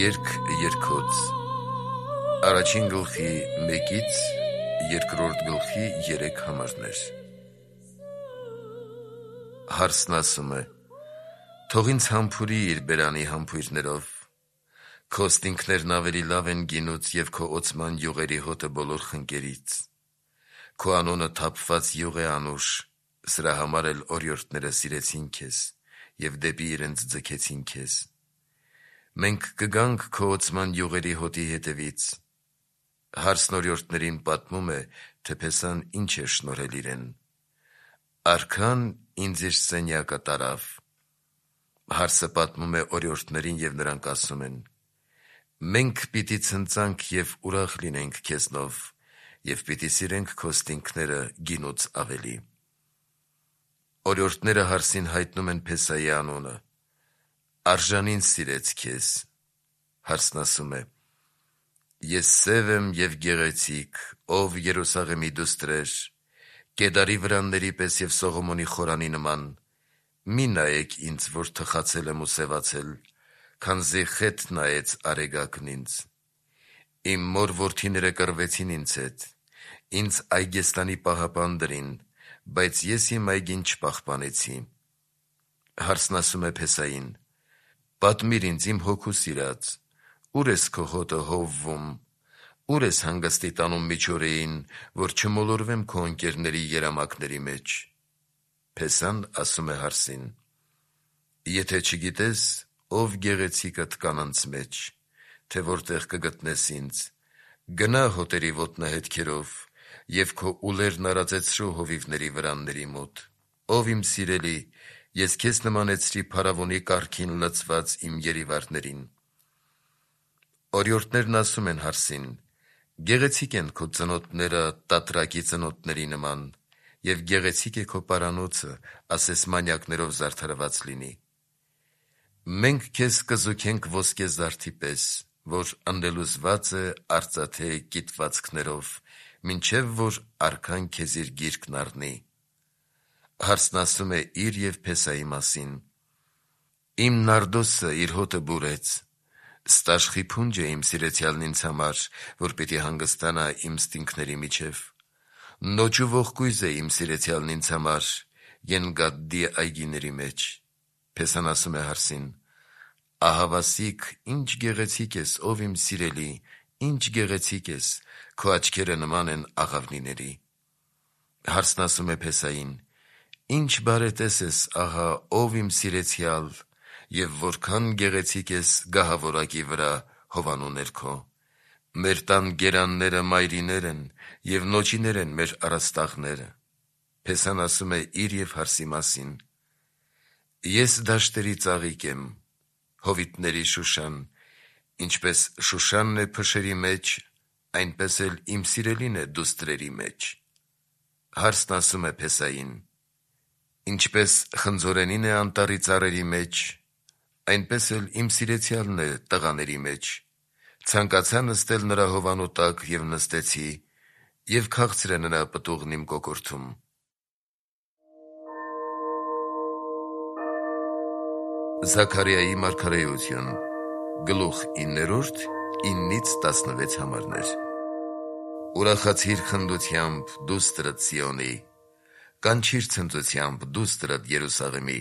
Երգ երկոց Առաջին գլխի 1-ից երկրորդ գլխի 3 համարներ։ Հարսն ասում է. թող ինձ համբուրի իր բերանի համբույրներով, քո ստինքներն ավելի լավ են գինուց և քո օծման յուղերի հոտը բոլոր խնկերից։ Քո անունը թափված յուղ է անուշ, սրա համար էլ օրիորդները սիրեցին քեզ և դեպի իրենց ձգեցին քեզ։ Մենք կգանք քո օծման յուղերի հոտի հետևից։ Հարսն օրիորդներին պատմում է, թե Փեսան ինչ է շնորհել իրեն։ Արքան ինձ իր սենյակը տարավ։ Հարսը պատմում է օրիորդներին և նրանք ասում են. մենք պիտի ցնծանք և ուրախ լինենք քեզնով և պիտի սիրենք քո ստինքները գինուց ավելի։ Օրիորդները հարսին հայտնում են Փեսայի անունը։ Արժանին սիրեց քեզ։ Հարսն ասում է. ես սև եմ և գեղեցիկ, ով Երուսաղեմի դուստրեր, Կեդարի վրանների պես և Սողոմոնի խորանի նման։ Մի նայեք ինձ, որ թխացել եմ ու սևացել, քանզի խետ նայեց արեգակն ինձ։ Իմ մոր որդիները կռվեցին ինձ հետ, ինձ այգեստանի պահապան դրին, բայց ես իմ այգին չպահպանեցի։ Հարսն ասում է Փեսային. պատմիր ինձ իմ հոգու սիրած, ուր ես քո հոտը հովվում, ուր ես հանգստի տանում միջօրեին, որ չմոլորվեմ քո ընկերների երամակների մեջ։ Փեսան ասում է հարսին. եթե չգիտես, ով գեղեցիկդ կանանց մեջ, թե որտեղ կգտնես ինձ, գնա հոտերի ոտնահետքերով և քո ուլերն արածեցրու հովիվների վրանների մոտ։ Ով իմ սիրելի, ես քեզ նմանեցրի փարավոնի կառքին լցված իմ երիվարներին։ Օրիորդներն ասում են հարսին. գեղեցիկ են քո ծնոտները տատրակի ծնոտների նման, և գեղեցիկ է քո պարանոցը, ասես մանյակներով զարդարված լինի։ Մենք քեզ կզուգենք ոսկե զարդի պես, որ ընդ է արծաթե կիտվածքներով, մինչև որ արքան քեզ իր գիրկն առնի։ Հարսն ասում է իր և Փեսայի մասին. իմ նարդոսը իր հոտը բուրեց, ստաշխի փունջ է իմ սիրեցյալն ինձ համար, որ պիտի հանգստանա իմ ստինքների միջև։ Նոճ ու ողկույզ է իմ սիրեցյալն ինձ համար, Ենգադդի այգիների մեջ։ Փեսան ասում է հարսին. ահավասիկ, ինչ գեղեցիկ ես, ով իմ սիրելի, ինչ գեղեցիկ ես, քո աչքերը նման են աղավնիների։ Հարսն ասում է Փեսային. ինչ բարետես ես, ահա, ով իմ սիրեցյալ, և որքան գեղեցիկ ես գահավորակի վրա հովանու ներքո։ Մեր տան գերանները մայրիներ են, և նոճիներ են մեր առաստաղները։ Փեսան ասում է իր և հարսի մասին. ես դաշտերի ծաղիկ եմ, հովիտների Շուշան, ինչպես Շուշանն է փշերի մեջ, այնպես էլ իմ սիրելին է դուստրերի մեջ։ Հարսն ասում է Փեսային. ինչպես խնձորենին է անտառի ծառերի մեջ, այնպես էլ իմ սիրեցյալն է տղաների մեջ։ Ցանկացա նստել նրա հովանու տակ և նստեցի, և քաղցր է նրա պտուղն իմ կոկորդում։ Զաքարիայի մարգարեություն գլուխ 9, 9-16 համարներ։ Ուրախացիր խնդությամբ, դուստրդ Սիոնի, կանչիր ցնծությամբ, դուստրդ Երուսաղեմի։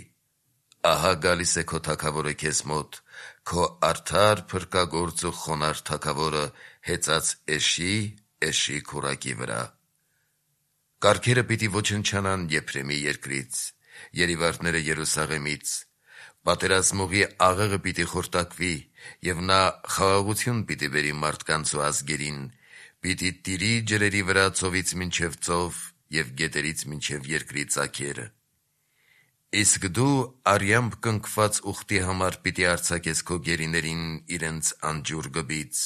Ահա գալիս է քո թագավորը քեզ մոտ, քո արդար, փրկագործ ու խոնարհ թագավորը հեծած էշի քուռակի վրա։ Կառքերը պիտի ոչնչանան Եփրեմի երկրից, երիվարները Երուսաղեմից։ Պատերազմողի աղեղը պիտի խորտակվի, և նա խաղաղություն պիտի բերի մարդկանց ու ազգերին, պիտի տիրի ջրերի վրա ծովից մինչև ծով և գետերից մինչև երկրի ծագերը։ Իսկ դու արյամբ կնքված ուխտի համար պիտի արձակես քո գերիներին իրենց անջուր գբից։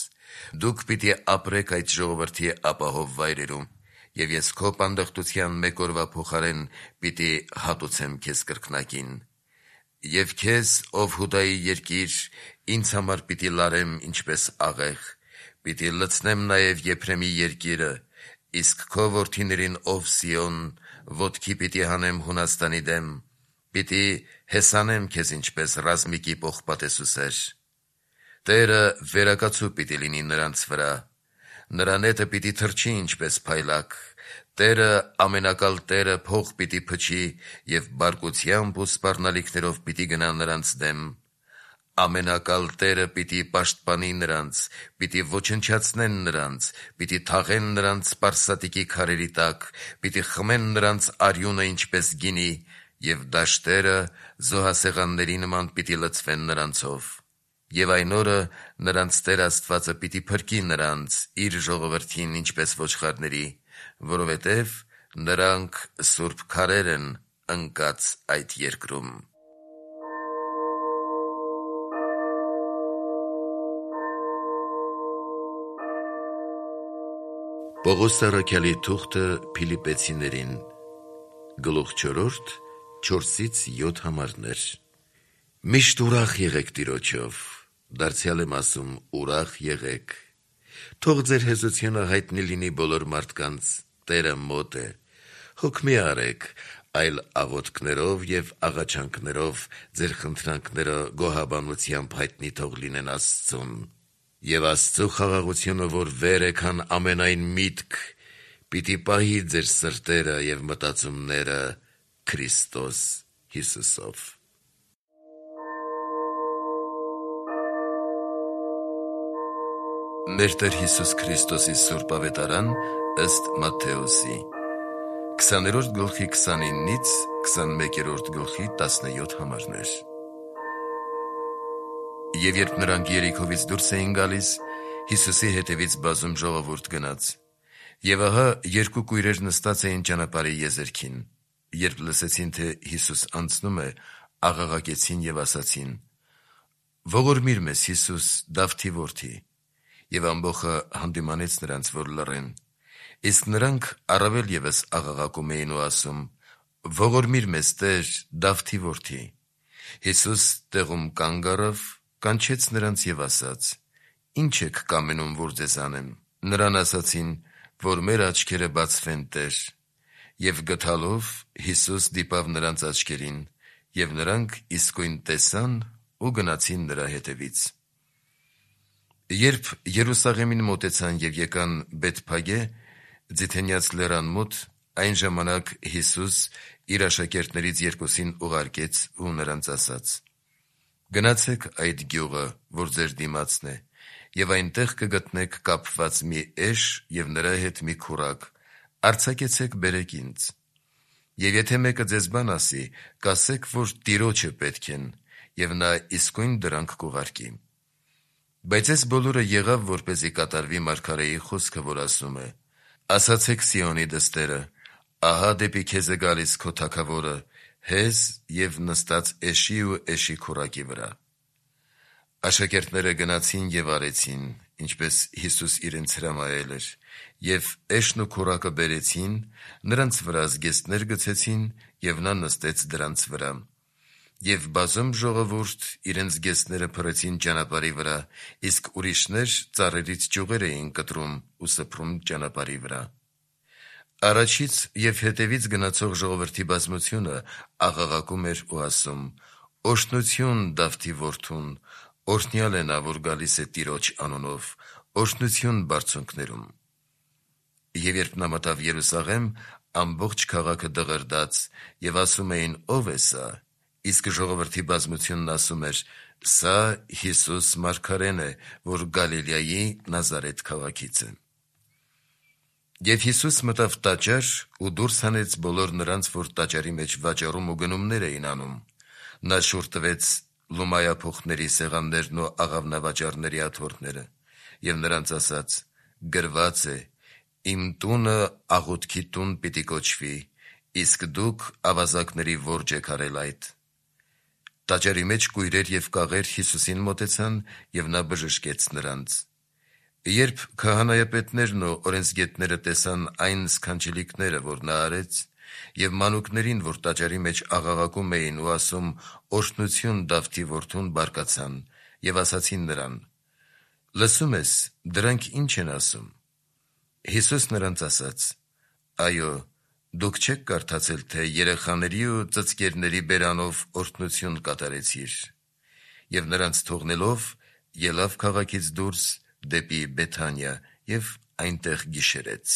Դուք պիտի ապրեք այդ ժողովրդի ապահով վայրերում, և ես քո պանդխտության մեկ օրվա փոխարեն պիտի հատուցեմ քեզ կրկնակին։ Եվ քեզ, ով Հուդայի երկիր, ինձ համար պիտի լարեմ ինչպես աղեղ, պիտի լցնեմ նաև Եփրեմի երկիրը, իսկ քո որդիներին, ով Սիոն, ոտքի պիտի հանեմ Հունաստանի դեմ, պիտի հեսանեմ քեզ ինչպես ռազմիկի պողպատեսուսեր։ Տերը վերակացու պիտի լինի նրանց վրա, նրա նետը պիտի թռչի ինչպես փայլակ, Տերը ամենակալ Տերը փող պիտի փչի և բարկությամբ ու սպառնալիքներով պիտի գնա նրանց դեմ, ամենակալ Տերը պիտի պաշտպանի նրանց, պիտի ոչնչացնեն նրանց, պիտի թաղեն նրանց սպարսատիկի քարերի տակ, պիտի խմեն նրանց արյունը ինչպես գինի, և դաշտերը զոհասեղանների նման պիտի լցվեն նրանցով։ Եվ այն օրը նրանց Տեր Աստվածը պիտի փրկի նրանց իր ժողովրդին ինչպես ոչխարների, որովհետև նրանք սուրբ քարեր են ընկած այդ երկրում։ Պողոս առաքյալի թուղթը Փիլիպպեցիներին, գլուխ 4, 4-7 համարներ։ Միշտ ուրախ եղեք Տիրոջով, դարձյալ եմ ասում, ուրախ եղեք։ Թող ձեր հեզությունը հայտնի լինի բոլոր մարդկանց, Տերը մոտ է։ Հոգ մի արեք, այլ աղոթքներով և աղաչանքներով ձեր խնդրանքները գոհաբանությամբ հայտնի թող լինեն Աստծուն։ Եվ Աստծու խաղաղությունը, որ վեր է քան ամենայն միտք, պիտի պահի ձեր սրտերը և մտածումները Քրիստոս Հիսուսով։ Մեր Տեր Հիսուս Քրիստոսի Սուրբ Ավետարան ըստ Մատթեոսի 20-րդ գլխի 29-ից 21-րդ գլխի 17 համարներ։ Եվ երբ նրանք Երիքովից դուրս էին գալիս, Հիսուսի հետևից բազում ժողովուրդ գնաց։ Եվ ահա երկու կույրեր նստած էին ճանապարհի եզերքին։ Երբ լսեցին, թե Հիսուս անցնում է, աղաղակեցին և ասացին. «Ողորմիր մեզ, Հիսուս, Դավթի որդի»։ Եվ ամբոխը հանդիմանեց նրանց, որ լռեն։ Իսկ նրանք առավել ևս աղաղակում էին ու ասում. «Ողորմիր մեզ, Տեր, Դավթի որդի»։ Հիսուս տեղում կանգ առավ, կանչեց նրանց և ասաց. «Ի՞նչ եք կամենում, որ ձեզ անեմ»։ Նրան ասացին, որ մեր աչքերը բացվեն, Տեր։ Եվ գթալով Հիսուս դիպավ նրանց աչքերին, և նրանք իսկույն տեսան ու գնացին նրա հետևից։ Երբ Երուսաղեմին մոտեցան և եկան Բեթփագե, Ձիթենյաց լեռան մոտ, այն ժամանակ Հիսուս իր աշակերտներից երկուսին ուղարկեց ու նրանց ասաց. «Գնացեք այդ գյուղը, որ ձեր դիմացն է, և այնտեղ կգտնեք կապված մի էշ և նրա հետ մի քուրակ, արձակեցեք բերեք ինձ։ Եվ եթե մեկը ձեզ բան ասի, կասեք, որ Տիրոջը պետք են, և նա իսկույն դրանք կուղարկի։ Բայց այս բոլորը եղավ, որպեսզի կատարվի մարգարեի խոսքը, որ ասում է. ասացեք Սիոնի դստերը, ահա դեպի քեզ է գալիս քո թագավորը, հեզ և նստած էշի ու էշի քուրակի վրա»։ Աշակերտները գնացին և արեցին, ինչպես Հիսուս իրենց հրամայել էր, և էշն ու քուրակը բերեցին, նրանց վրա զգեստներ գցեցին, և նա նստեց դրանց վրա։ Եվ բազում ժողովուրդ իրենց զգեստները փռեցին ճանապարհի վրա, իսկ ուրիշներ ծառերից ճյուղեր էին կտրում ու սփռում ճանապարհի վրա։ Առաջից և հետևից գնացող ժողովրդի բազմությունը աղաղակում էր ու ասում. «Օրհնություն Դավթի որդուն, օրհնյալ է նա, որ գալիս է Տիրոջ անունով, օրհնություն բարձունքներում»։ Եվ երբ նա մտավ Երուսաղեմ, ամբողջ քաղաքը դղրդաց, և ասում էին. «Ո՞վ է սա»։ Իսկ ժողովրդի բազմությունն ասում էր. «Սա Հիսուս մարգարեն է, որ Գալիլեայի Նազարեթ քաղաքից է»։ Եվ Հիսուս մտավ տաճար ու դուրս հանեց բոլոր նրանց, որ տաճարի մեջ վաճառում ու գնումներ էին անում։ Նա շուռ տվեց լումայափոխների սեղաններն ու աղավնավաճառների աթոռները և նրանց ասաց. «Գրված է. իմ տունը աղոթքի տուն պիտի կոչվի, իսկ դուք ավազակների որջն եք արել այդ»։ Տաճարի մեջ կույրեր և կաղեր Հիսուսին մոտեցան, և նա բժշկեց նրանց։ Երբ քահանայապետներն ու օրենսգետները տեսան այն սքանչելիքները, որ նա արեց, և մանուկներին, որ տաճարի մեջ աղաղակում էին ու ասում. «Օրհնություն Դավթի որդուն», բարկացան և ասացին նրան. «Լսում ես, դրանք ի՞նչ են ասում»։ Հիսուս նրանց ասաց. «Այո, դուք չե՞ք կարդացել, թե երեխաների ու ծծկերների բերանով օրհնություն կատարեցիր»։ Եվ նրանց թողնելով, ելավ քաղաքից դուրս դեպի Բեթանիա և այնտեղ գիշերեց։